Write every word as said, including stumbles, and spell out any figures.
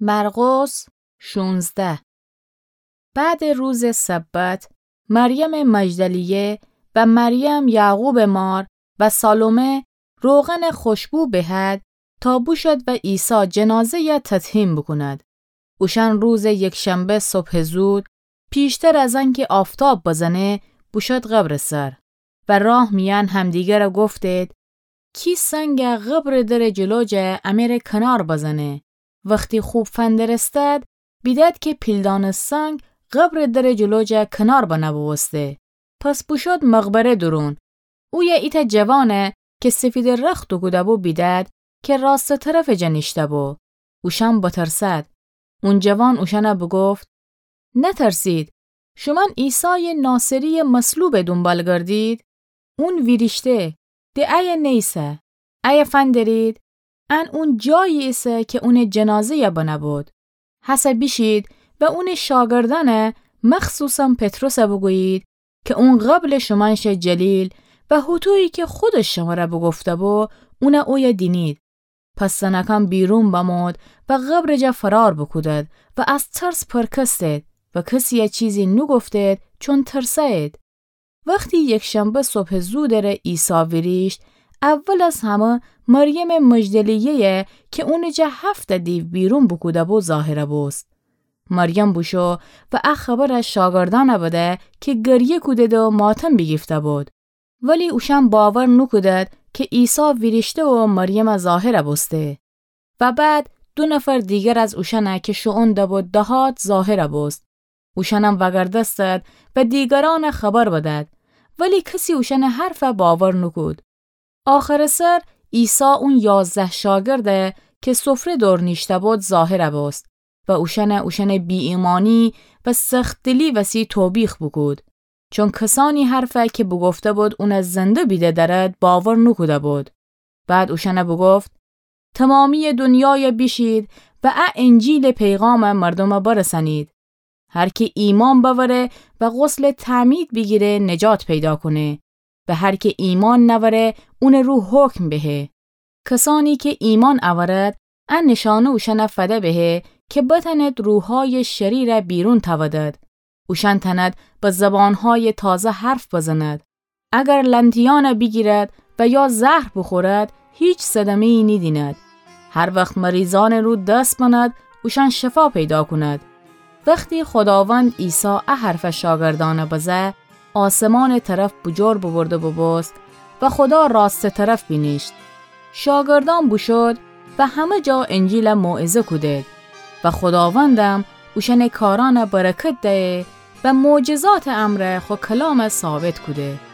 مرقس شونزده. بعد روز سبت، مریم مجدلیه و مریم یعقوب مار و سالومه روغن خوشبو بهد تا بوشد و عیسی جنازه‌یه تطهیم بوکوند. اوشان روز یکشنبه صبح زود، پیشتر از انکه آفتاب بزنه، بوشد قبر سر. و راه میان همدیگره گفتید: کی سنگه قبر در جلو جه امره کنار بزنه؟ وختی خوب فندرستد، بیدد که پیلدان سنگ قبر در جلو جه کنار بنه بوسته. پس بوشد مقبره درون. اویه ایتأ جوانه که سفیدٚ رخت دوکوده‌بو بیدد که راستٚ طرفٚ جا نیشته‌بو. اوشان بترسد. اون جوان اوشانه بوگفت: نترسید، شومأن عیسایٚ ناصری‌یه مصلوبٚ دونبال گردید؟ اون ویریشته، د ایه نیسه. ایه فندرید، ان اون جایی ایسه که اونٚ جنازه‌یه بنه‌بود. هسه بیشید و اونٚ شاگردأنه، مخصوصاً پطرسه بوگویید که اون قبلٚ شومأن شه جلیل و هوطویی که خودش شمره بوگفته‌بو، اونه اویه دینید. پس زنأکان بیرون بمود و قبرٚ جا فرار بوکودد و از ترس پرکستید و کسی‌یه چیزی نوگفتید، چون ترسه‌یید. وختی یکشنبه صبحٚ زودٚره عیسی ویریشت، اول از همه مریمٚ مجدلیه‌یه که اونٚ جا هفت دیو بیرون بوکوده‌بو ظاهره بوست. مریم بوشو و ا خبره شاگردأنه بده که گریه کودید و ماتم بیگیفته‌بود. ولی اوشأن باور نوکودد که عیسی ویریشته و مریمه ظاهره بوسته. و بعد دو نفر دیگر از اوشأنه که شوئون دبود دهات ظاهره بوست. اوشأنم وگردستد و دیگرأنه خبر بدد، ولی کسی اوشأنٚ حرفه باور نوکود. آخرٚ سر عیسی اون یازده شاگرده که سفره دور نیشته‌بود ظاهره بوست و اوشأنه اوشأنٚ بی‌ایمأنی و سخت‌دلی وسی توبیخ بوکود. چون کسأنی حرفه که بوگفته‌بود اونه زنده بیده دأرد باور نوکوده‌بود. بعد اوشأنه بوگفت: تمامی‌یٚ دونیایه بیشید و ا انجیلٚ پیغامه مردومه برسأنید. هر که ایمأن بأوره و غسلٚ تعمید بیگیره نجات پیدا کونه و هر که ایمأن نأوره اونٚ رو حکم بهه. کسأنی که ایمأن أورد ا نیشأنه اوشأنه فده بهه که بتأند روحایٚ شریره بیرون تأودد. اوشأن تأند به زبانهایٚ تازه حرف بزند. اگر لنتیأنه بیگیرد و یا زهر بوخورد هیچ صدمه‌یی نیدیند. هر وخت مریضأنٚ رو دس بند اوشأن شفا پیدا کند. وختی خوداوند عیسی ا حرفه شاگردأنه بزه، آسمانٚ طرف بوجور بوبرد و بوبوست و خودا راستٚ طرف بینیشت. شاگردأن بوشود و همه جا انجیله موعظه کودید و خوداوندم اوشأنٚ کارأنه برکت دیه و معجزاتٚ امرأ خو کلامه ثابت کوده.